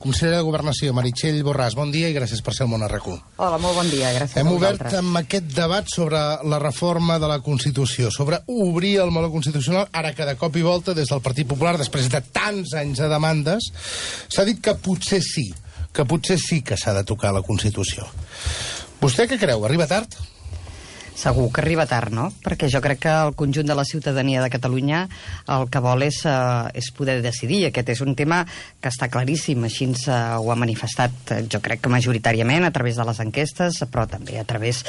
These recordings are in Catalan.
Consellera de Governació, Meritxell Borràs, bon dia i gràcies per ser al Món RQ. Hola, molt bon dia, gràcies a vosaltres. Hem obert amb aquest debat sobre la reforma de la Constitució, sobre obrir el meló constitucional, ara que de cop i volta, des del Partit Popular, després de tants anys de demandes, s'ha dit que potser sí que s'ha de tocar la Constitució. Vostè què creu? Arriba tard? Segur que arriba tard, no? Perquè jo crec que el conjunt de la ciutadania de Catalunya el que vol és poder decidir. Aquest és un tema que està claríssim, així ho ha manifestat, jo crec que majoritàriament a través de les enquestes, però també a través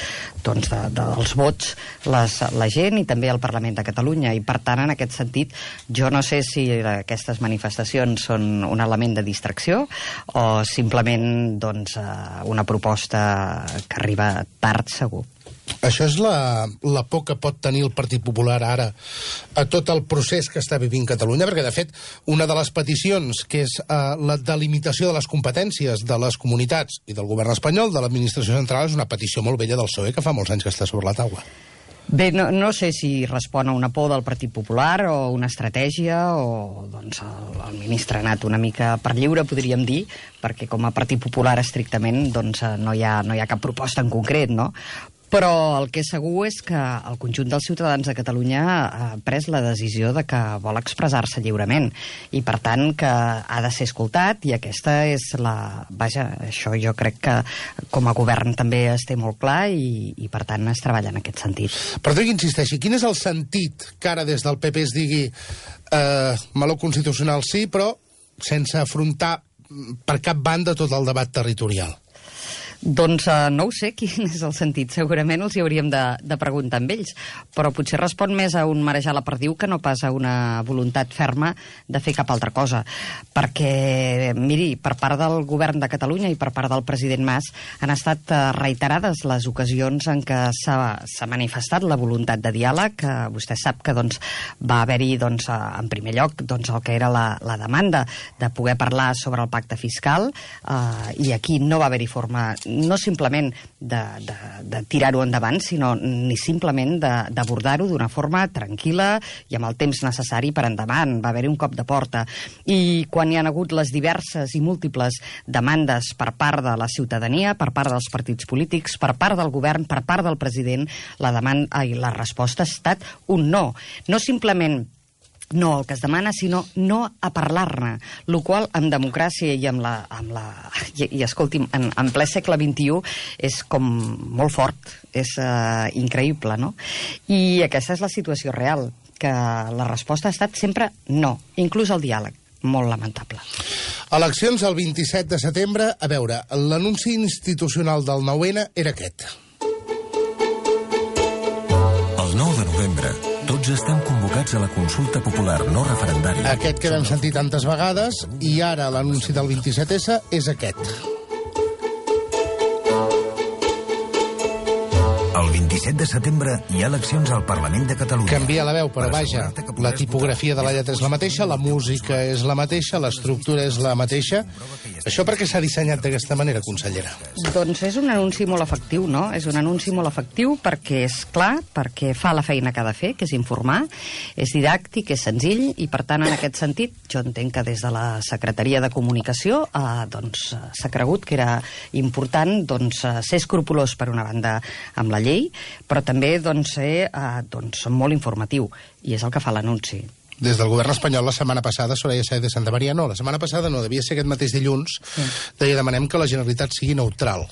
dels vots la gent i també el Parlament de Catalunya. I per tant, en aquest sentit, jo no sé si aquestes manifestacions són un element de distracció o simplement una proposta que arriba tard, segur. Això és la por que pot tenir el Partit Popular ara a tot el procés que està vivint Catalunya, perquè, de fet, una de les peticions, que és la delimitació de les competències de les comunitats i del govern espanyol, de l'administració central, és una petició molt vella del PSOE, que fa molts anys que està sobre la taula. Bé, no sé si respon a una por del Partit Popular o una estratègia o el ministre ha anat una mica per lliure, podríem dir, perquè com a Partit Popular estrictament no hi ha cap proposta en concret, no? Però el que és segur és que el conjunt dels ciutadans de Catalunya ha pres la decisió de que vol expressar-se lliurement i, per tant, que ha de ser escoltat i aquesta és la... Vaja, això jo crec que com a govern també es té molt clar i per tant, es treballa en aquest sentit. Però que insisteixi, quin és el sentit que ara des del PP es digui meló constitucional sí, però sense afrontar per cap banda tot el debat territorial? Doncs no ho sé quin és el sentit, segurament els hi hauríem de preguntar amb ells, però potser respon més a un marejar la perdiu que no pas a una voluntat ferma de fer cap altra cosa, perquè, miri, per part del govern de Catalunya i per part del president Mas han estat reiterades les ocasions en què s'ha manifestat la voluntat de diàleg, que vostè sap que va haver-hi en primer lloc el que era la demanda de poder parlar sobre el pacte fiscal i aquí no va haver-hi forma no simplement de tirar-ho endavant, sinó ni simplement d'abordar-ho d'una forma tranquil·la i amb el temps necessari per endavant. Va haver-hi un cop de porta. I quan hi ha hagut les diverses i múltiples demandes per part de la ciutadania, per part dels partits polítics, per part del govern, per part del president, la resposta ha estat un no. No simplement no el que es demana, sinó no a parlar-ne, el qual en democràcia i escolti'm, en ple segle XXI és com molt fort, és increïble, no? I aquesta és la situació real, que la resposta ha estat sempre no, inclús el diàleg. Molt lamentable. Eleccions el 27 de setembre. A veure, l'anunci institucional del 9-N era aquest. El 9 de novembre, tots estem convocats a la consulta popular no referendària. Aquest que vam sentir tantes vegades, i ara l'anunci del 27S és aquest. El 27 de setembre hi ha eleccions al Parlament de Catalunya. Canvia la veu, però vaja, la tipografia de la lletra és la mateixa, la música és la mateixa, l'estructura és la mateixa. Això per què s'ha dissenyat d'aquesta manera, consellera? Doncs és un anunci molt efectiu, no? És un anunci molt efectiu perquè és clar, perquè fa la feina que ha de fer, que és informar, és didàctic, és senzill, i per tant, en aquest sentit, jo entenc que des de la Secretaria de Comunicació s'ha cregut que era important ser escrupolós per una banda amb la llei, però també ser molt informatiu, i és el que fa l'anunci. Des del govern espanyol la setmana passada, Soraya Sáez de Santamaría, no, la setmana passada no, devia ser aquest mateix dilluns, deia demanem que la Generalitat sigui neutral.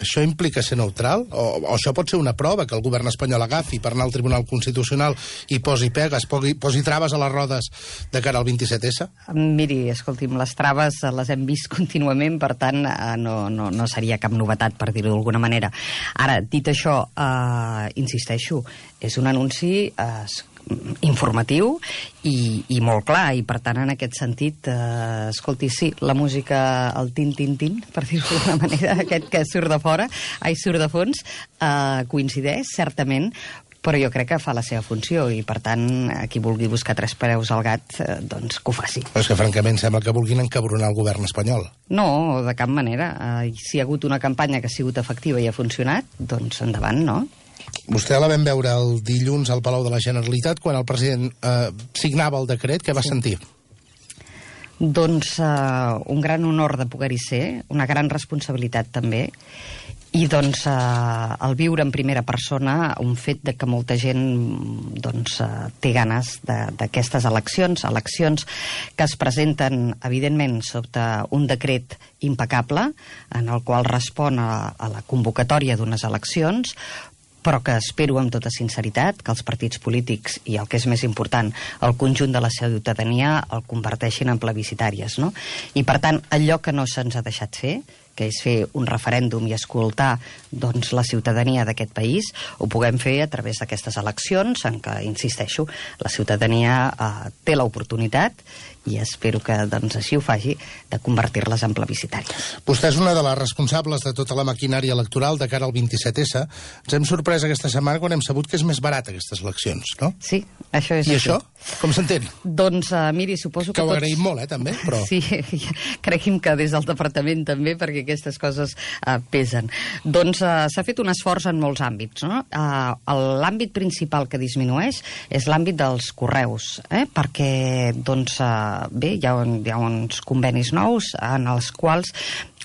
Això implica ser neutral? O això pot ser una prova que el govern espanyol agafi per anar al Tribunal Constitucional i posi pegues, posi traves a les rodes de cara al 27S? Miri, escolti'm, les traves les hem vist contínuament, per tant, no seria cap novetat, per dir-ho d'alguna manera. Ara, dit això, insisteixo, és un anunci informatiu i molt clar, i per tant en aquest sentit escolti, sí, la música, el tin-tin-tin, per dir-ho d'alguna manera, aquest que surt de fora, surt de fons, coincideix certament, però jo crec que fa la seva funció i per tant qui vulgui buscar tres peus al gat doncs que ho faci. Però és que francament sembla que vulguin encabronar el govern espanyol. No, de cap manera. Si hi ha hagut una campanya que ha sigut efectiva i ha funcionat, doncs endavant, no? Vostè la vam veure el dilluns al Palau de la Generalitat quan el president signava el decret. Què va sentir? Doncs un gran honor de poder-hi ser, una gran responsabilitat també, i doncs el viure en primera persona un fet de que molta gent té ganes d'aquestes eleccions que es presenten evidentment sota un decret impecable en el qual respon a la convocatòria d'unes eleccions, però que espero amb tota sinceritat que els partits polítics i el que és més important, el conjunt de la ciutadania el converteixin en plebiscitàries, no? I per tant, allò que no se'ns ha deixat fer, que és fer un referèndum i escoltar doncs, la ciutadania d'aquest país, ho puguem fer a través d'aquestes eleccions en què, insisteixo, la ciutadania té l'oportunitat, i espero que doncs, així ho faci, de convertir-les en plebiscitàries. Vostè és una de les responsables de tota la maquinària electoral de cara al 27S. Ens hem sorprès aquesta setmana quan hem sabut que és més barat aquestes eleccions, no? Sí, això és I així. això? Com s'entén? Doncs, miri, suposo que ho agraïm molt, també, però... Sí, cregui'm que des del departament també, perquè aquestes coses pesen. Doncs s'ha fet un esforç en molts àmbits, no? L'àmbit principal que disminueix és l'àmbit dels correus, perquè, doncs, bé, hi ha uns convenis nous en els quals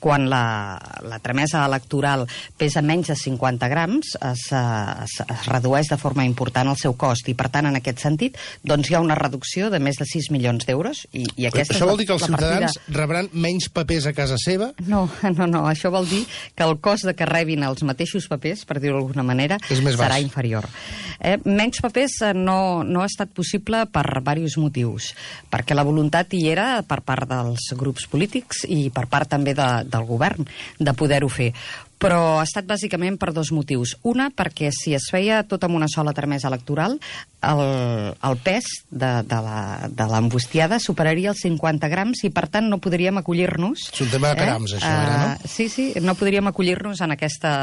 quan la tramesa electoral pesa menys de 50 grams, es redueix de forma important el seu cost, i per tant, en aquest sentit, doncs hi ha una reducció de més de 6 milions d'euros. I això vol dir que els ciutadans rebran menys papers a casa seva? No, això vol dir que el cost de que rebin els mateixos papers, per dir-ho d'alguna manera, serà inferior. Menys papers no ha estat possible per diversos motius, perquè la voluntat hi era per part dels grups polítics i per part també del govern de poder-ho fer. Però ha estat bàsicament per dos motius. Una, perquè si es feia tot amb una sola tramesa electoral, el pes de l'embustiada superaria els 50 grams i, per tant, no podríem acollir-nos... És un tema de grams, això, ara, no? Sí, no podríem acollir-nos en aquesta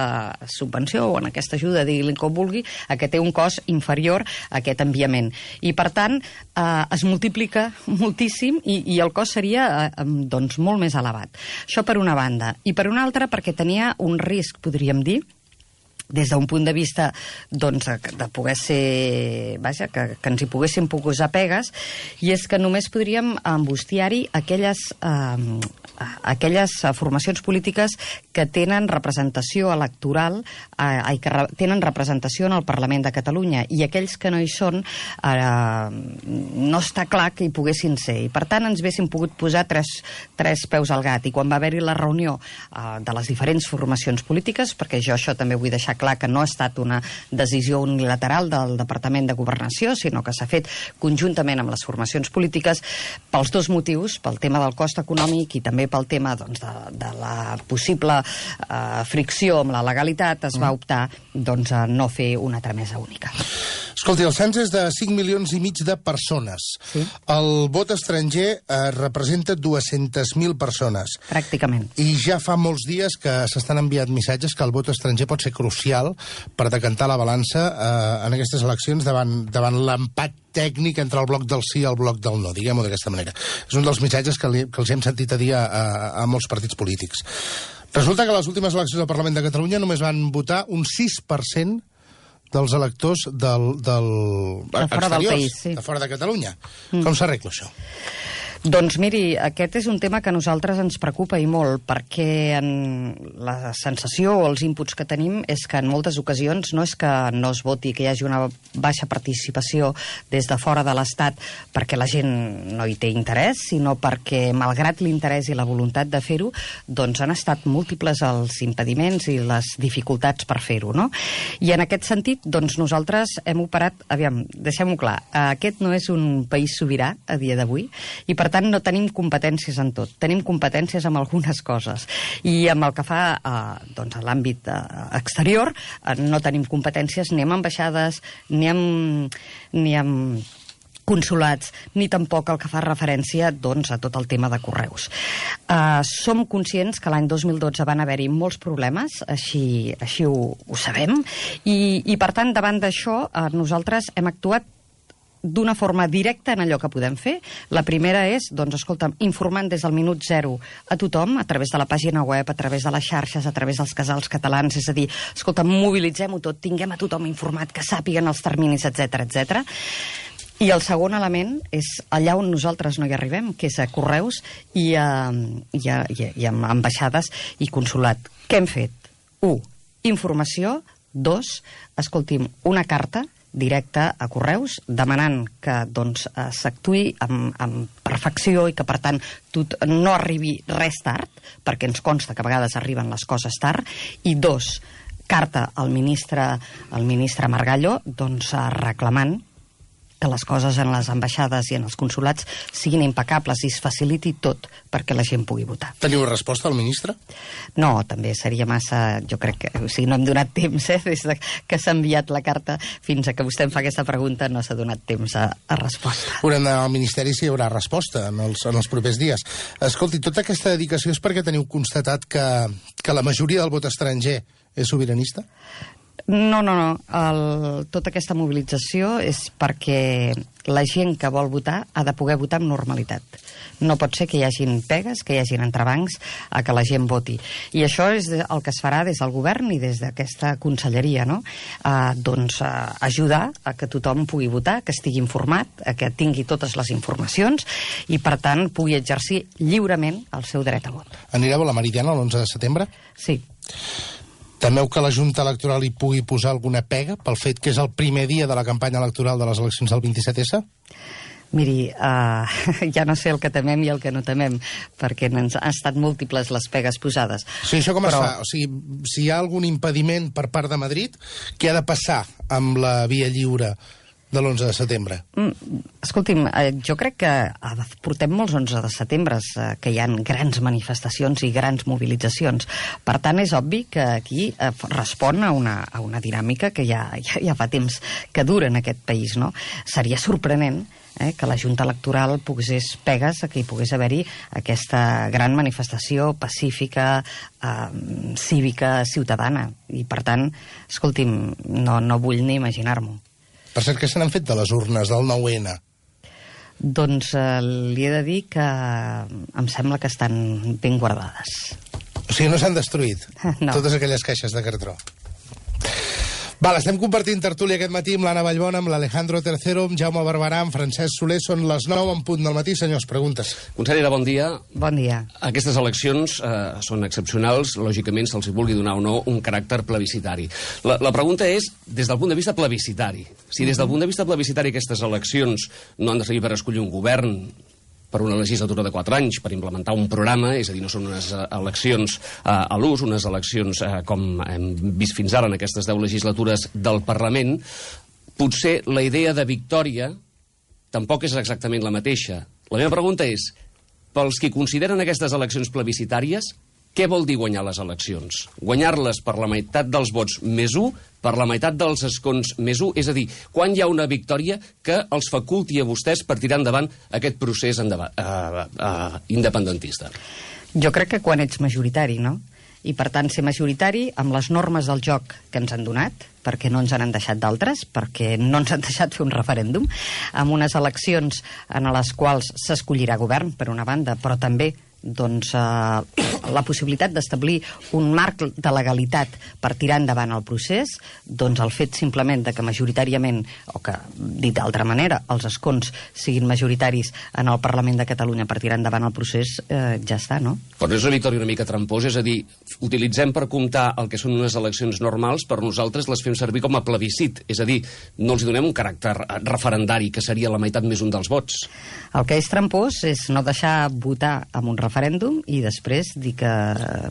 subvenció o en aquesta ajuda, diguin com vulgui, que té un cost inferior a aquest enviament. I, per tant, es multiplica moltíssim i el cost seria doncs, molt més elevat. Això per una banda. I per una altra, perquè tenia un risc, podríem dir, des d'un punt de vista doncs, de poder ser... Vaja, que ens hi poguéssim posar pegues, i és que només podríem embustiar-hi aquelles formacions polítiques que tenen representació electoral i que tenen representació en el Parlament de Catalunya, i aquells que no hi són no està clar que hi poguessin ser, i per tant ens haguéssim pogut posar tres peus al gat. I quan va haver-hi la reunió de les diferents formacions polítiques, perquè jo això també vull deixar clar que no ha estat una decisió unilateral del Departament de Governació, sinó que s'ha fet conjuntament amb les formacions polítiques, pels dos motius, pel tema del cost econòmic i també pel tema doncs, de la possible fricció amb la legalitat, es va optar doncs, a no fer una tramesa única. Escolti, el cens és de 5,5 milions de persones. Sí. El vot estranger representa 200.000 persones. Pràcticament. I ja fa molts dies que s'estan enviant missatges que el vot estranger pot ser crucial per decantar la balança en aquestes eleccions davant l'empat tècnic entre el bloc del sí i el bloc del no, diguem-ho d'aquesta manera. És un dels missatges que els hem sentit a dir a molts partits polítics. Resulta que a les últimes eleccions del Parlament de Catalunya només van votar un 6% dels electors de fora del país, sí. De fora de Catalunya. Com s'arregla això? Doncs miri, aquest és un tema que a nosaltres ens preocupa i molt, perquè la sensació o els inputs que tenim és que en moltes ocasions no és que no es voti, que hi hagi una baixa participació des de fora de l'Estat perquè la gent no hi té interès, sinó perquè, malgrat l'interès i la voluntat de fer-ho, doncs han estat múltiples els impediments i les dificultats per fer-ho, no? I en aquest sentit, doncs nosaltres hem operat... Aviam, deixem-ho clar, aquest no és un país sobirà a dia d'avui, i per tant no tenim competències en tot, tenim competències en algunes coses, i amb el que fa doncs, a l'àmbit exterior no tenim competències ni amb ambaixades ni amb consulats, ni tampoc el que fa referència doncs, a tot el tema de correus. Som conscients que l'any 2012 van haver-hi molts problemes, així ho sabem, i per tant davant d'això nosaltres hem actuat d'una forma directa en allò que podem fer. La primera és, doncs, escolta'm, informant des del minut zero a tothom, a través de la pàgina web, a través de les xarxes, a través dels casals catalans, és a dir, escolta'm, mobilitzem-ho tot, tinguem a tothom informat, que sàpiguen els terminis, etc etc. I el segon element és allà on nosaltres no hi arribem, que és a correus i a ambaixades i consulat. Què hem fet? 1. Informació. 2. Escolti'm, una carta directa a correus demanant que s'actuï amb perfecció i que, per tant, no arribi res tard, perquè ens consta que a vegades arriben les coses tard. I 2. Carta al ministre Margallo reclamant que les coses en les ambaixades i en els consulats siguin impecables i es faciliti tot perquè la gent pugui votar. Teniu resposta al ministre? No, també seria massa... Jo crec que... O sigui, no hem donat temps, des que s'ha enviat la carta fins a que vostè em fa aquesta pregunta, no s'ha donat temps a resposta. Haurem d'anar al Ministeri si hi haurà resposta en els propers dies. Escolti, tota aquesta dedicació és perquè teniu constatat que la majoria del vot estranger és sobiranista? No. Tota aquesta mobilització és perquè la gent que vol votar ha de poder votar amb normalitat. No pot ser que hi hagin pegues, que hi hagin entrebancs a que la gent voti. I això és el que es farà des del govern i des d'aquesta conselleria, no? Ajudar a que tothom pugui votar, que estigui informat, a que tingui totes les informacions i, per tant, pugui exercir lliurement el seu dret a vot. Anireu a la Meridiana l'11 de setembre? Sí. Temeu que la Junta Electoral hi pugui posar alguna pega pel fet que és el primer dia de la campanya electoral de les eleccions del 27S? Miri, ja no sé el que temem i el que no temem, perquè han estat múltiples les pegues posades. Sí, això com es fa? O sigui, si hi ha algun impediment per part de Madrid, què ha de passar amb la via lliure de l'11 de setembre? Escolti'm, jo crec que portem molts 11 de setembre que hi ha grans manifestacions i grans mobilitzacions. Per tant, és obvi que aquí respon a una dinàmica que ja fa temps que dura en aquest país, no? Seria sorprenent que la Junta Electoral posés pegues a que hi pogués haver-hi aquesta gran manifestació pacífica, cívica, ciutadana. I, per tant, escolti'm, no vull ni imaginar-m'ho. Per cert, què se n'han fet de les urnes del 9-N? Doncs li he de dir que em sembla que estan ben guardades. O sigui, no s'han destruït? No. Totes aquelles caixes de cartró. Val, estem compartint tertúlia aquest matí amb l'Anna Vallbona, amb l'Alejandro Tercero, amb Jaume Barberà, amb Francesc Soler. Són les 9 en punt del matí. Senyors, preguntes. Consellera, bon dia. Bon dia. Aquestes eleccions són excepcionals. Lògicament, se'ls vulgui donar o no un caràcter plebiscitari. La pregunta és, des del punt de vista plebiscitari. Si des del punt de vista plebiscitari aquestes eleccions no han de servir per escollir un govern per una legislatura de 4 anys, per implementar un programa, és a dir, no són unes eleccions a l'ús, unes eleccions com hem vist fins ara en aquestes 10 legislatures del Parlament, potser la idea de victòria tampoc és exactament la mateixa. La meva pregunta és, pels qui consideren aquestes eleccions plebiscitàries, què vol dir guanyar les eleccions? Guanyar-les per la meitat dels vots més 1, per la meitat dels escons més 1, és a dir, quan hi ha una victòria que els faculti a vostès per tirar endavant aquest procés independentista? Jo crec que quan ets majoritari, no? I, per tant, ser majoritari amb les normes del joc que ens han donat, perquè no ens han deixat d'altres, perquè no ens han deixat fer un referèndum, amb unes eleccions en les quals s'escollirà govern, per una banda, però també la possibilitat d'establir un marc de legalitat per tirar endavant el procés, doncs el fet simplement de que majoritàriament, o que, dit d'altra manera, els escons siguin majoritaris en el Parlament de Catalunya per tirar endavant el procés, ja està, no? Però és una victòria una mica tramposa, és a dir, utilitzem per comptar el que són unes eleccions normals, per nosaltres les fem servir com a plebiscit, és a dir, no els donem un caràcter referendari, que seria la meitat més 1 dels vots. El que és trampós és no deixar votar amb un referèndum i després dir que,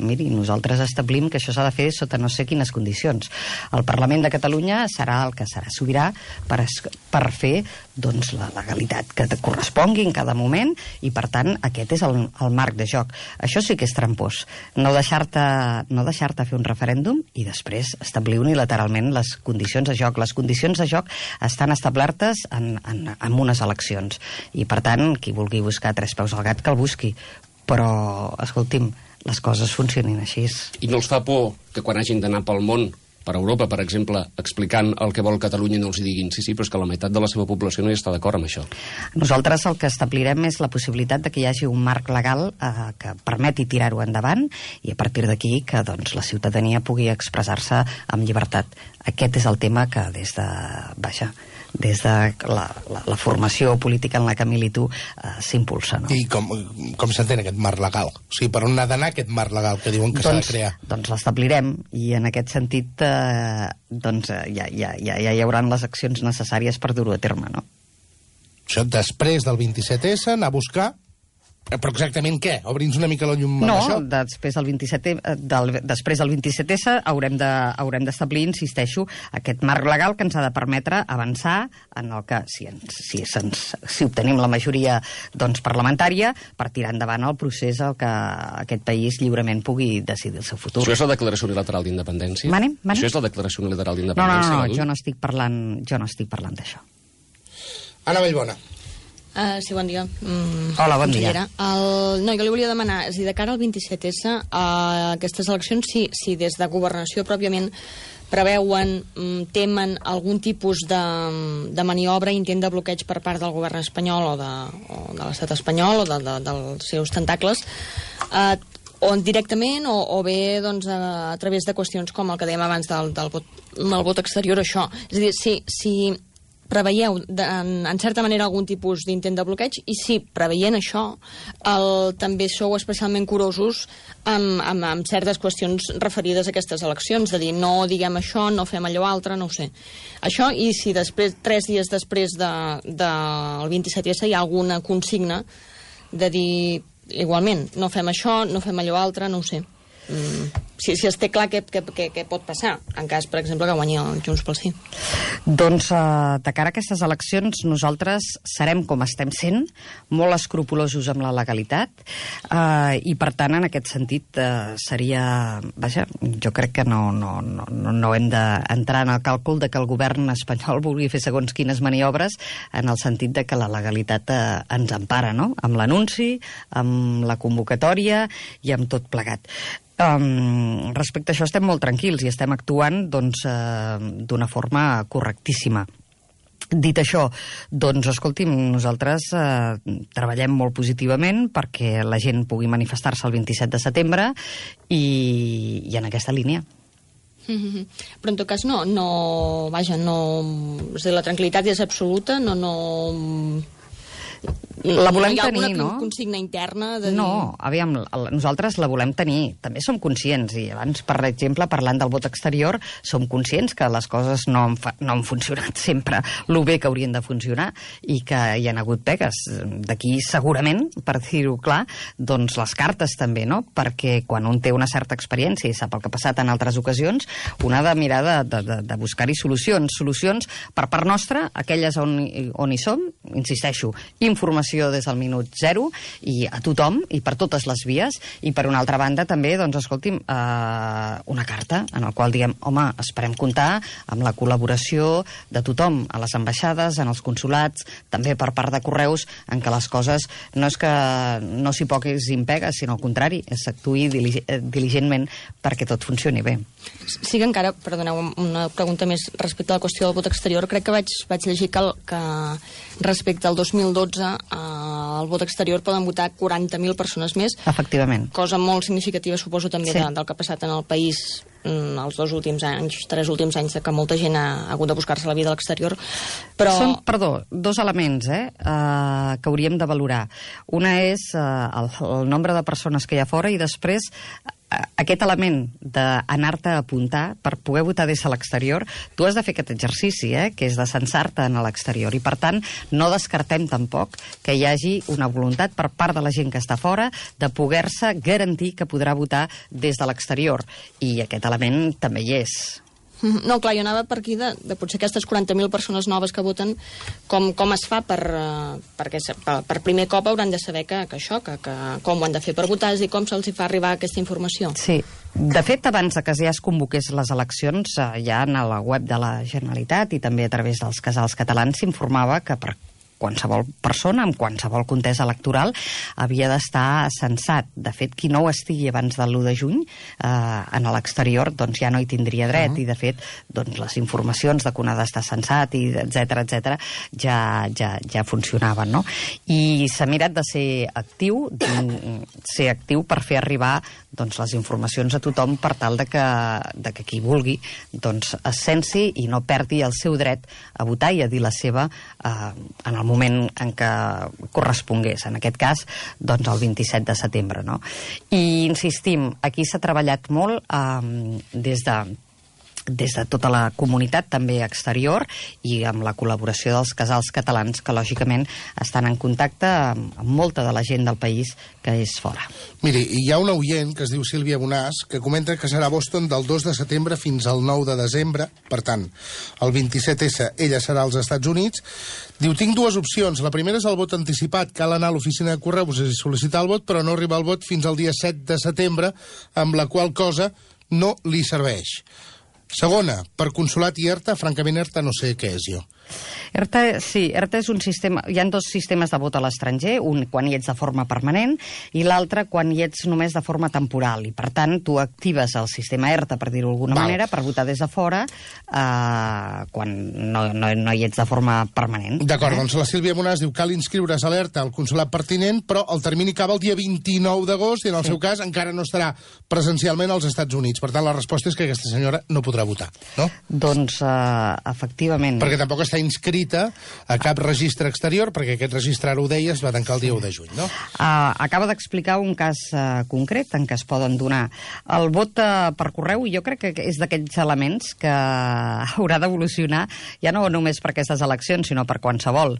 miri, nosaltres establim que això s'ha de fer sota no sé quines condicions. El Parlament de Catalunya serà el que serà sobirà per fer doncs, la legalitat que te correspongui en cada moment i, per tant, aquest és el marc de joc. Això sí que és trampós. No deixar-te fer un referèndum i després establir unilateralment les condicions de joc. Les condicions de joc estan establertes en unes eleccions i, per tant, qui vulgui buscar 3 peus al gat que el busqui. Però, escolti'm, les coses funcionin així. I no els fa por que quan hagin d'anar pel món, per Europa, per exemple, explicant el que vol Catalunya, no els hi diguin sí, però és que la meitat de la seva població no hi està d'acord amb això? Nosaltres el que establirem és la possibilitat de que hi hagi un marc legal que permeti tirar-ho endavant i a partir d'aquí que doncs, la ciutadania pugui expressar-se amb llibertat. Aquest és el tema que des de... des de la formació política en la que milito s'impulsa. No? I com s'entén aquest marc legal? O sigui, per on ha d'anar aquest marc legal que diuen que s'ha de crear? Doncs l'establirem, i en aquest sentit ja hi haurà les accions necessàries per dur-ho a terme, no? Això després del 27S, anar a buscar... Però exactament què? Obri'ns una mica la llum amb això? No, després del 27S haurem d'establir, insisteixo, aquest marc legal que ens ha de permetre avançar en el que, si obtenim la majoria parlamentària, per tirar endavant el procés al que aquest país lliurement pugui decidir el seu futur. Això és la declaració unilateral d'independència? Mane? Això és la declaració unilateral d'independència? No, jo no estic parlant d'això. Anna Vallbona. Sí, bon dia. Hola, bon dia. No, jo li volia demanar, és a dir, de cara al 27S, aquestes eleccions, si des de governació pròpiament preveuen, temen algun tipus de maniobra, intent de bloqueig per part del govern espanyol o de l'estat espanyol o dels seus tentacles, o directament o bé a través de qüestions com el que dèiem abans del vot exterior, això. És a dir, si preveieu, en certa manera, algun tipus d'intent de bloqueig, i si, preveient això, també sou especialment curosos amb certes qüestions referides a aquestes eleccions, de dir, no diguem això, no fem allò altre, no ho sé. Això, i si després, 3 dies després del 27S hi ha alguna consigna de dir, igualment, no fem això, no fem allò altre, no ho sé. Si es té clar què pot passar en cas, per exemple, que guanyi el Junts pel Sí. Doncs de cara a aquestes eleccions nosaltres serem, com estem sent, molt escrupulosos amb la legalitat, i per tant en aquest sentit seria... Vaja, jo crec que no hem d'entrar en el càlcul de que el govern espanyol vulgui fer segons quines maniobres, en el sentit de que la legalitat ens empara, no? Amb l'anunci, amb la convocatòria i amb tot plegat. Respecte a això estem molt tranquils i estem actuant d'una forma correctíssima. Dit això, doncs, escolti'm, nosaltres treballem molt positivament perquè la gent pugui manifestar-se el 27 de setembre i en aquesta línia. Però en tot cas és a dir, la tranquil·litat és absoluta, la volem tenir, no? Hi ha alguna consigna interna? No, aviam, nosaltres la volem tenir. També som conscients, i abans, per exemple, parlant del vot exterior, som conscients que les coses no han funcionat sempre lo bé que haurien de funcionar i que hi ha hagut pegues. D'aquí, segurament, per dir-ho clar, doncs les cartes també, no? Perquè quan un té una certa experiència i sap el que ha passat en altres ocasions, un ha de mirar de buscar-hi solucions. Solucions per part nostra, aquelles on hi som, insisteixo, informació des del minut zero i a tothom i per totes les vies, i per una altra banda també, doncs escolti'm, una carta en la qual diguem, home, esperem comptar amb la col·laboració de tothom, a les ambaixades, en els consulats, també per part de correus, en què les coses no és que no s'hi posin pegues, sinó al contrari, s'actuï diligentment perquè tot funcioni bé. Sí que encara, perdoneu, una pregunta més respecte a la qüestió del vot exterior. Crec que vaig llegir que respecte al 2012 al vot exterior poden votar 40.000 persones més. Efectivament. Cosa molt significativa, suposo, també del que ha passat en el país els 3 últims anys, que molta gent ha hagut de buscar-se la vida a l'exterior. Però... Són, 2 elements que hauríem de valorar. Una és el nombre de persones que hi ha fora, i després aquest element d'anar-te a apuntar per poder votar des de l'exterior. Tu has de fer aquest exercici, que és de censar-te en l'exterior, i per tant no descartem tampoc que hi hagi una voluntat per part de la gent que està fora de poder-se garantir que podrà votar des de l'exterior, i aquest element també hi és. No, clar, jo anava per aquí de potser aquestes 40.000 persones noves que voten, com es fa perquè per primer cop hauran de saber que com ho han de fer per votar, és a dir, com se'ls fa arribar aquesta informació. Sí, de fet, abans que ja es convoqués les eleccions, ja a la web de la Generalitat i també a través dels casals catalans s'informava que per qualsevol persona, amb qualsevol contesa electoral, havia d'estar censat. De fet, qui no ho estigui abans del 1 de juny en l'exterior, doncs ja no hi tindria dret, i de fet, doncs les informacions de que un ha d'estar censat, i etc ja funcionaven, no? I s'ha mirat de ser actiu per fer arribar doncs, les informacions a tothom per tal de que qui vulgui doncs, es censi i no perdi el seu dret a votar i a dir la seva en el moment en què correspongués. En aquest cas, doncs, el 27 de setembre. No? I insistim, aquí s'ha treballat molt des de tota la comunitat, també exterior, i amb la col·laboració dels casals catalans, que lògicament estan en contacte amb molta de la gent del país que és fora. Miri, hi ha una oient que es diu Sílvia Bonàs que comenta que serà a Boston del 2 de setembre fins al 9 de desembre, per tant, el 27S ella serà als Estats Units. Diu, tinc dues opcions. La primera és el vot anticipat. Cal anar a l'oficina de correus i sol·licitar el vot, però no arriba el vot fins al dia 7 de setembre, amb la qual cosa no li serveix. Segona, per Consolat i ERTA, francament ERTA no sé què és jo. ERTA és un sistema... Hi ha dos sistemes de vot a l'estranger, un quan hi ets de forma permanent i l'altre quan hi ets només de forma temporal. I, per tant, tu actives el sistema ERTA, per dir-ho d'alguna manera, per votar des de fora quan no hi ets de forma permanent. D'acord, doncs la Sílvia Bonàs diu cal inscriure's a l'ERTA al consolat pertinent, però el termini acaba el dia 29 d'agost i, en el seu cas, encara no estarà presencialment als Estats Units. Per tant, la resposta és que aquesta senyora no podrà votar, no? Doncs, efectivament. Perquè tampoc està inscrita a cap registre exterior, perquè aquest registre, ara ho deies, va tancar el dia 1 de juny, no? Acaba d'explicar un cas concret en què es poden donar el vot per correu, i jo crec que és d'aquells elements que haurà d'evolucionar, ja no només per aquestes eleccions, sinó per qualsevol,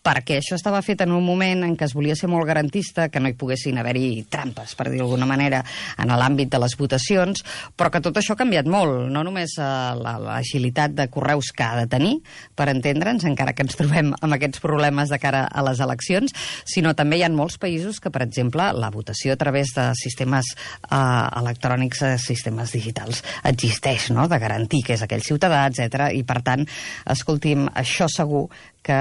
perquè això estava fet en un moment en què es volia ser molt garantista, que no hi poguessin haver-hi trampes, per dir d'alguna manera, en l'àmbit de les votacions, però que tot això ha canviat molt, no només l'agilitat de correus que ha de tenir, per entendre'ns, encara que ens trobem amb aquests problemes de cara a les eleccions, sinó també hi ha molts països que, per exemple, la votació a través de sistemes electrònics, sistemes digitals, existeix, no?, de garantir que és aquell ciutadà, etc. I, per tant, escolti'm, això segur que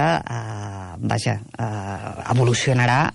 evolucionarà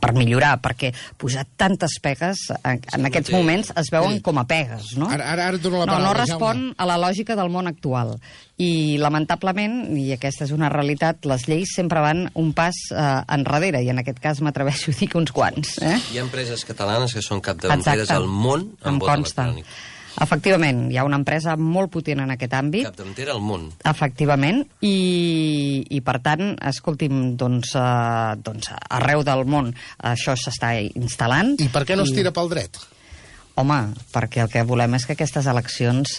per millorar, perquè posar tantes pegues en aquests moments es veuen com a pegues, no? Ara et dono la paraula. No respon a la lògica del món actual. I, lamentablement, i aquesta és una realitat, les lleis sempre van un pas enrere, i en aquest cas m'atreveixo a dir que uns quants. Hi ha empreses catalanes que són capdavanteres al món amb vot electrònic. Efectivament, hi ha una empresa molt potent en aquest àmbit. Capdavantera al món. Efectivament, i per tant, escolti'm, doncs arreu del món això s'està instal·lant. I per què no es tira pel dret? Home, perquè el que volem és que aquestes eleccions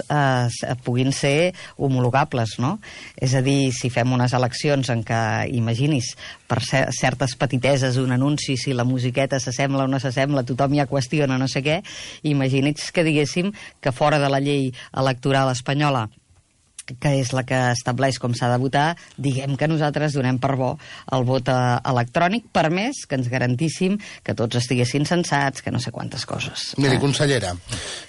puguin ser homologables, no? És a dir, si fem unes eleccions en què, imaginis, per certes petiteses, un anunci, si la musiqueta s'assembla o no s'assembla, tothom ja qüestiona no sé què, imagini's que diguéssim que fora de la llei electoral espanyola, que és la que estableix com s'ha de votar, diguem que nosaltres donem per bo el vot electrònic, per més que ens garantíssim que tots estiguessin censats, que no sé quantes coses. Miri, consellera,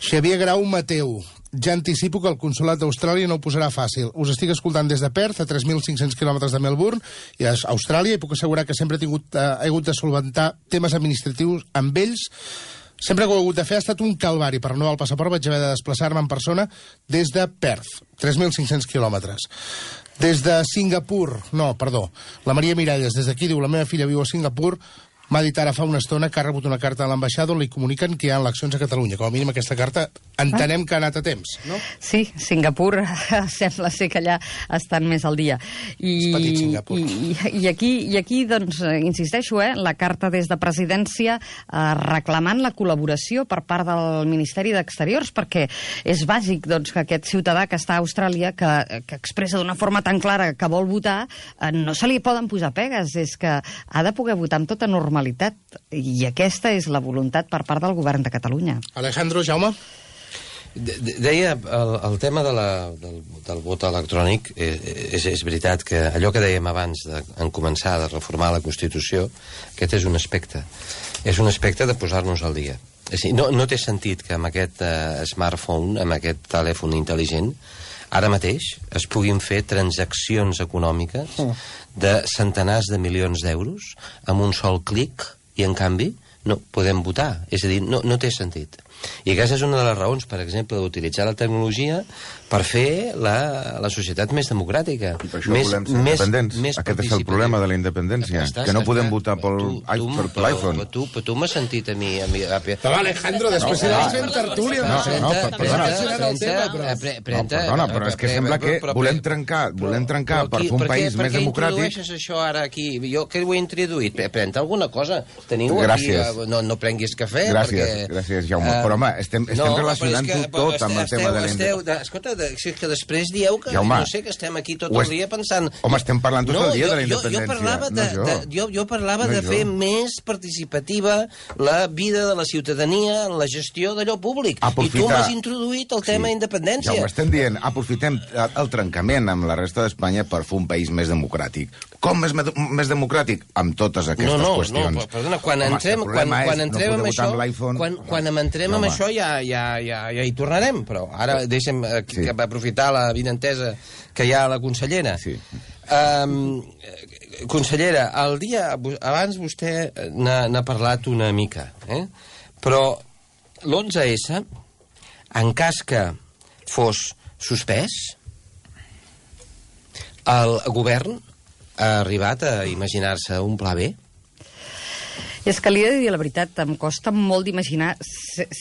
Xavier Grau Mateu, ja anticipo que el consolat d'Austràlia no ho posarà fàcil. Us estic escoltant des de Perth, a 3.500 quilòmetres de Melbourne, i a Austràlia, i puc assegurar que sempre he hagut de solventar temes administratius amb ells. Sempre que ho he hagut de fer ha estat un calvari. Per renovar el passaport vaig haver de desplaçar-me en persona des de Perth, 3.500 quilòmetres. Des de Singapur, no, perdó, la Maria Miralles, des d'aquí diu, la meva filla viu a Singapur, m'ha dit ara fa una estona que ha rebut una carta a l'ambaixada on li comuniquen que hi ha eleccions a Catalunya. Com a mínim aquesta carta entenem que ha anat a temps, no? Sí, Singapur sembla ser que allà estan més al dia. És petit, Singapur. I aquí, doncs, insisteixo, la carta des de presidència reclamant la col·laboració per part del Ministeri d'Exteriors, perquè és bàsic, doncs, que aquest ciutadà que està a Austràlia, que expressa d'una forma tan clara que vol votar, no se li poden posar pegues, és que ha de poder votar amb tota normalitat, i aquesta és la voluntat per part del govern de Catalunya. Alejandro, Jaume? Deia, el tema del vot electrònic, és veritat que allò que dèiem abans en començar de reformar la Constitució, aquest és un aspecte. És un aspecte de posar-nos al dia. És a dir, no té sentit que amb aquest smartphone, amb aquest telèfon intel·ligent, ara mateix es puguin fer transaccions econòmiques de centenars de milions d'euros amb un sol clic i, en canvi, no podem votar. És a dir, no té sentit. I aquesta és una de les raons, per exemple, d'utilitzar la tecnologia per fer la societat més democràtica. I per això volem ser independents. Aquest és el problema de la independència, que no podem votar per l'iPhone. Però tu m'has sentit a mi... Però Alejandro, després serà fent tertúlia. Perdona, però és que sembla que volem trencar per fer un país més democràtic. Per què introdueixes això ara aquí? Jo què ho he introduït? Pren-te alguna cosa. Teniu aquí... No prenguis cafè. Gràcies, Jaume. Però, home, estem relacionant-ho tot amb el tema de l'independència. Escolta, és que després dieu que no sé, que estem aquí tot el dia pensant... Home, estem parlant tot el dia de la independència. Jo parlava de fer més participativa la vida de la ciutadania en la gestió d'allò públic. I tu m'has introduït el tema independència. Ja ho estem dient. Aprofitem el trencament amb la resta d'Espanya per fer un país més democràtic. Com més democràtic? Amb totes aquestes qüestions. No, perdona, quan entrem amb això... Quan entrem amb això ja hi tornarem, però ara deixem aprofitar la vinentesa que hi ha a la consellera. Sí. Consellera, abans vostè n'ha parlat una mica, però l'11S, en cas que fos suspès, el govern ha arribat a imaginar-se un pla B? És que li he de dir la veritat, em costa molt d'imaginar...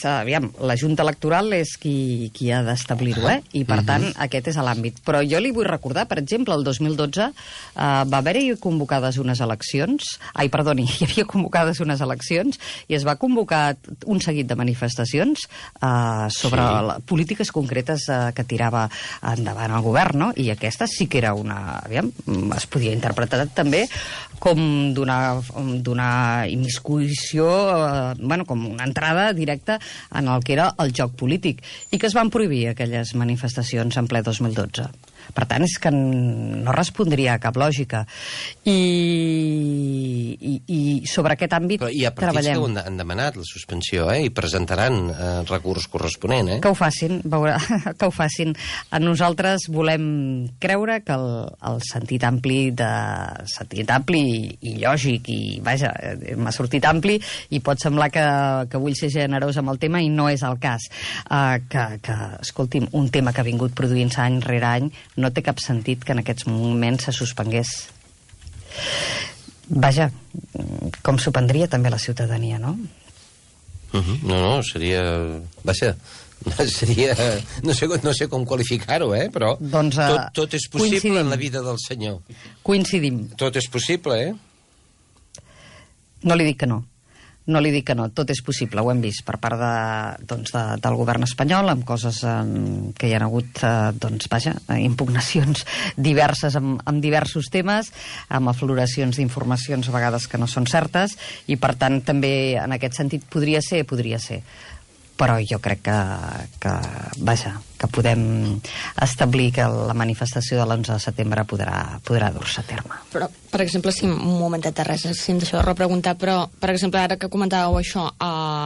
Aviam, la Junta Electoral és qui ha d'establir-ho, i per tant aquest és l'àmbit. Però jo li vull recordar, per exemple, el 2012 va haver-hi convocades unes eleccions... hi havia convocades unes eleccions i es va convocar un seguit de manifestacions sobre polítiques concretes que tirava endavant el govern, no? I aquesta sí que era una... Aviam, es podia interpretar també com donar immiscuïció, com una entrada directa en el que era el joc polític, i que es van prohibir aquelles manifestacions en ple 2012. Per tant, és que no respondria a cap lògica. I sobre aquest àmbit treballem. I a partits que han demanat la suspensió, i presentaran recurs corresponent, Que ho facin, que ho facin. Nosaltres volem creure que el sentit ampli i lògic, i vaja, m'ha sortit ampli, i pot semblar que vull ser generós amb el tema, i no és el cas. Escolti'm, un tema que ha vingut produint-se any rere any, no té cap sentit que en aquests moments se suspengués. Vaja, com s'ho prendria també la ciutadania, no? No, seria... Vaja, seria... No sé com qualificar-ho, però doncs, tot és possible en la vida del senyor. Coincidim. Tot és possible, No li dic que no. No li dic que no, tot és possible, ho hem vist per part del govern espanyol, amb coses que hi ha hagut, impugnacions diverses amb diversos temes, amb afloracions d'informacions a vegades que no són certes, i per tant també en aquest sentit podria ser. Però jo crec que podem establir que la manifestació de l'11 de setembre podrà dur-se a terme. Però, per exemple, un momentet de res, si em deixeu de repreguntar, però, per exemple, ara que comentàveu això,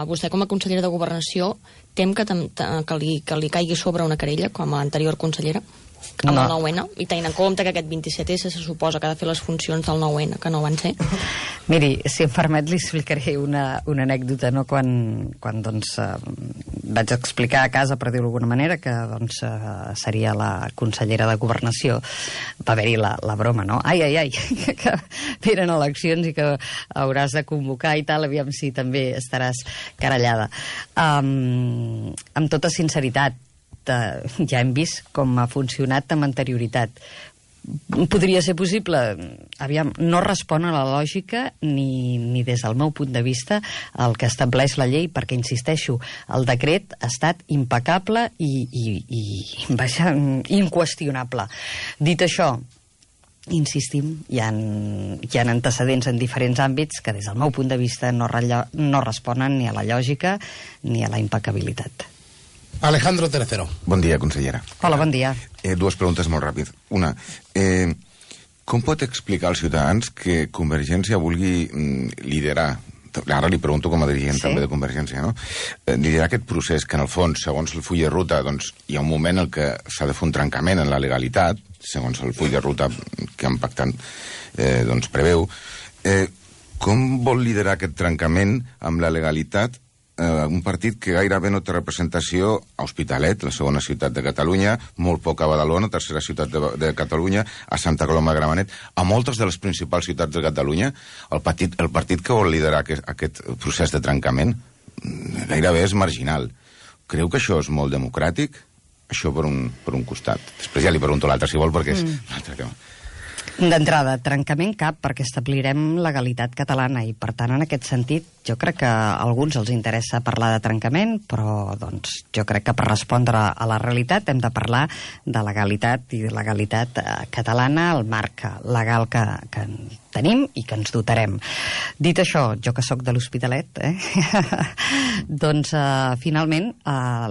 vostè com a consellera de Governació tem que li caigui sobre una querella com a anterior consellera? Amb el 9-N, i tenint en compte que aquest 27S se suposa que ha de fer les funcions del 9-N, que no van ser. Miri, si em permet, li explicaré una anècdota, no? Quan vaig explicar a casa, per dir-ho d'alguna manera, que seria la consellera de Governació, va haver-hi la broma, no? Ai, que venen eleccions i que hauràs de convocar i tal, aviam si també estaràs querellada. Amb tota sinceritat, ja hem vist com ha funcionat amb anterioritat. Podria ser possible? Aviam, no respon a la lògica ni des del meu punt de vista el que estableix la llei, perquè, insisteixo, el decret ha estat impecable i vaja, inqüestionable. Dit això, insistim, hi ha antecedents en diferents àmbits que des del meu punt de vista no responen ni a la lògica ni a la impecabilitat. Alejandro Tercero. Bon dia, consellera. Hola, bon dia. Dues preguntes molt ràpid. Una, com pot explicar als ciutadans que Convergència vulgui liderar ara li pregunto com a dirigent també de Convergència, no? Liderar aquest procés que, en el fons, segons el full de ruta, doncs, hi ha un moment en què s'ha de fer un trencament en la legalitat, segons el full de ruta que han pactat doncs, preveu. Com vol liderar aquest trencament amb la legalitat un partit que gairebé no té representació a Hospitalet, la segona ciutat de Catalunya, molt poc a Badalona, tercera ciutat de Catalunya, a Santa Coloma de Gramenet, a moltes de les principals ciutats de Catalunya, el partit que vol liderar aquest procés de trencament gairebé és marginal. Creu que això és molt democràtic? Això per un costat. Després ja li pregunto l'altre, si vol, perquè és un altre tema. D'entrada, trencament cap, perquè establirem legalitat catalana i, per tant, en aquest sentit, jo crec que a alguns els interessa parlar de trencament, però doncs, jo crec que per respondre a la realitat hem de parlar de legalitat i de legalitat catalana, el marc legal que tenim i que ens dotarem. Dit això, jo que sóc de l'Hospitalet, doncs finalment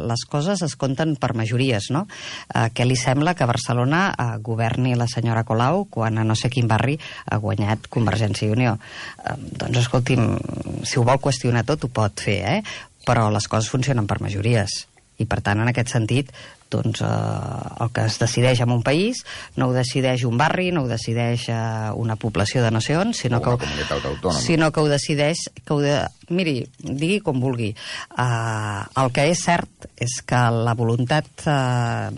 les coses es compten per majories, no? Què li sembla que a Barcelona governi la senyora Colau quan a no sé quin barri ha guanyat Convergència i Unió? Doncs escolti'm, si ho vol qüestionar tot ho pot fer, però les coses funcionen per majories. I per tant, en aquest sentit, doncs el que es decideix en un país no ho decideix un barri, no ho decideix una població de no sé on, sinó que ho decideix miri, digui com vulgui. El que és cert és que la voluntat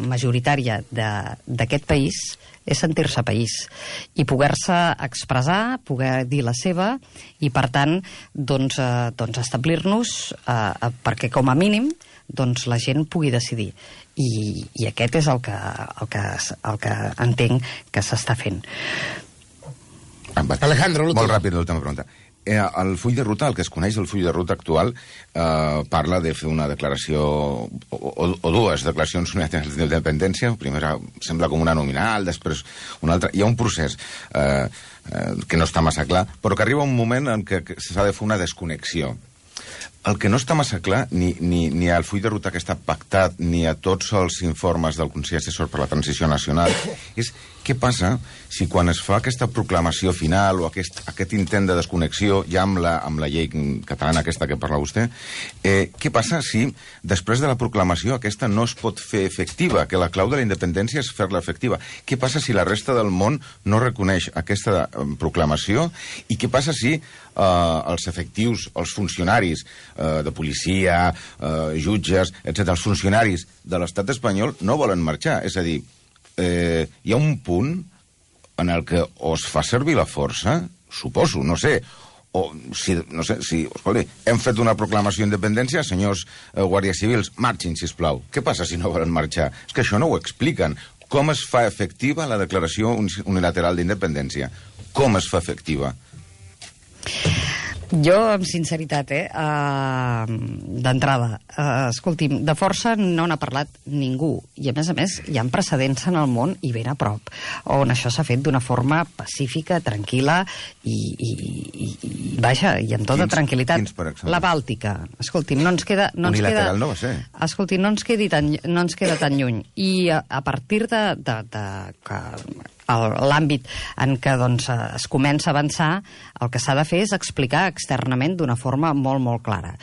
majoritària d'aquest país és sentir-se país i poder-se expressar, poder dir la seva i, per tant, doncs establir-nos perquè, com a mínim, doncs la gent pugui decidir. I aquest és el que entenc que s'està fent. Alejandro, molt ràpid, l'última pregunta. El full de ruta, el que es coneix el full de ruta actual, parla de fer una declaració o dues declaracions unilaterals d'independència. Primera sembla com una nominal, després una altra. Hi ha un procés que no està massa clar, però que arriba un moment en què s'ha de fer una desconnexió. El que no està massa clar, ni al full de ruta que està pactat, ni a tots els informes del Consell Assessor per la Transició Nacional, és què passa si quan es fa aquesta proclamació final o aquest intent de desconnexió, ja amb la llei catalana aquesta que parla vostè, què passa si després de la proclamació aquesta no es pot fer efectiva, que la clau de la independència és fer-la efectiva? Què passa si la resta del món no reconeix aquesta proclamació? I què passa si els efectius, els funcionaris de policia, jutges, etc., els funcionaris de l'estat espanyol no volen marxar? És a dir, hi ha un punt en el que o es fa servir la força, suposo, no sé, escolta, hem fet una proclamació d'independència, senyors guàrdies civils, marxin, sisplau. Què passa si no volen marxar? És que això no ho expliquen. Com es fa efectiva la declaració unilateral d'independència? Com es fa efectiva? Jo, amb sinceritat, d'entrada, escolti'm, de força no n'ha parlat ningú. I, a més, hi ha precedents en el món i ben a prop, on això s'ha fet d'una forma pacífica, tranquil·la i vaja, i amb tota tranquil·litat. Quins, per exemple? La Bàltica. Escolti'm, no ens queda... Unilateral no va ser. Escolti, no ens queda tan lluny. I a partir de l'àmbit en què doncs, es comença a avançar, el que s'ha de fer és explicar externament d'una forma molt, molt clara.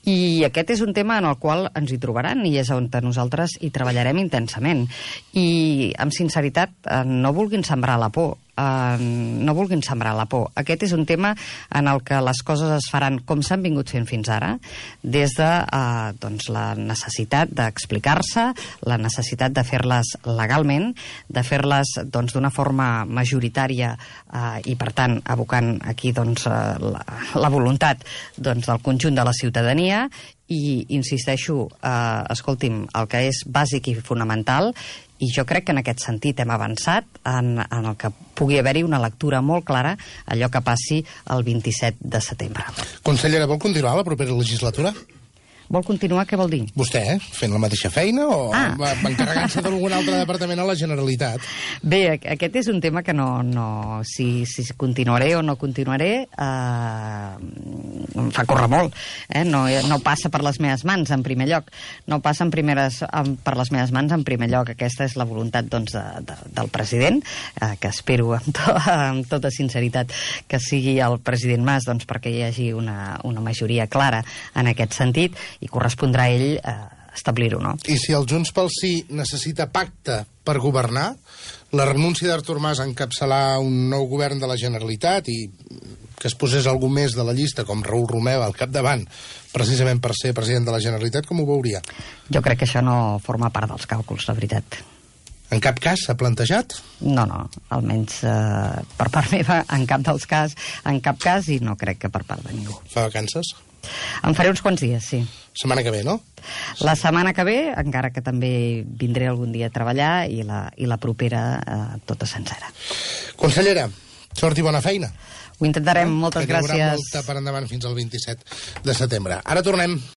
I aquest és un tema en el qual ens hi trobaran i és on nosaltres hi treballarem intensament. I, amb sinceritat, no vulguin sembrar la por. No vulguin sembrar la por. Aquest és un tema en el que les coses es faran com s'han vingut fent fins ara, des de doncs, la necessitat d'explicar-se, la necessitat de fer-les legalment, de fer-les doncs, d'una forma majoritària i, per tant, abocant aquí doncs, la voluntat doncs, del conjunt de la ciutadania. I insisteixo, escolti'm, el que és bàsic i fonamental, i jo crec que en aquest sentit hem avançat en el que pugui haver-hi una lectura molt clara allò que passi el 27 de setembre. Consellera, vol continuar la propera legislatura? Vol continuar? Què vol dir? Vostè, fent la mateixa feina o encarregant-se d'algun altre departament a la Generalitat? Bé, aquest és un tema que si continuaré o no continuaré em fa córrer molt. No passa per les meves mans, en primer lloc. No passa per les meves mans, en primer lloc. Aquesta és la voluntat del president, que espero amb tota sinceritat que sigui el president Mas, perquè hi hagi una majoria clara en aquest sentit, i correspondrà a ell establir-ho, no? I si el Junts pel Sí necessita pacte per governar, la renúncia d'Artur Mas a encapçalar un nou govern de la Generalitat i que es posés algú més de la llista, com Raül Romeva, al capdavant, precisament per ser president de la Generalitat, com ho veuria? Jo crec que això no forma part dels càlculs, la veritat. En cap cas s'ha plantejat? No, almenys per part meva, en cap cas, i no crec que per part de ningú. Fa vacances? En faré uns quants dies, sí. Setmana que ve, no? La setmana que ve, encara que també vindré algun dia a treballar, i la propera tota sencera. Consellera, sort i bona feina. Ho intentarem, moltes gràcies. Que hi haurà molta per endavant fins al 27 de setembre. Ara tornem.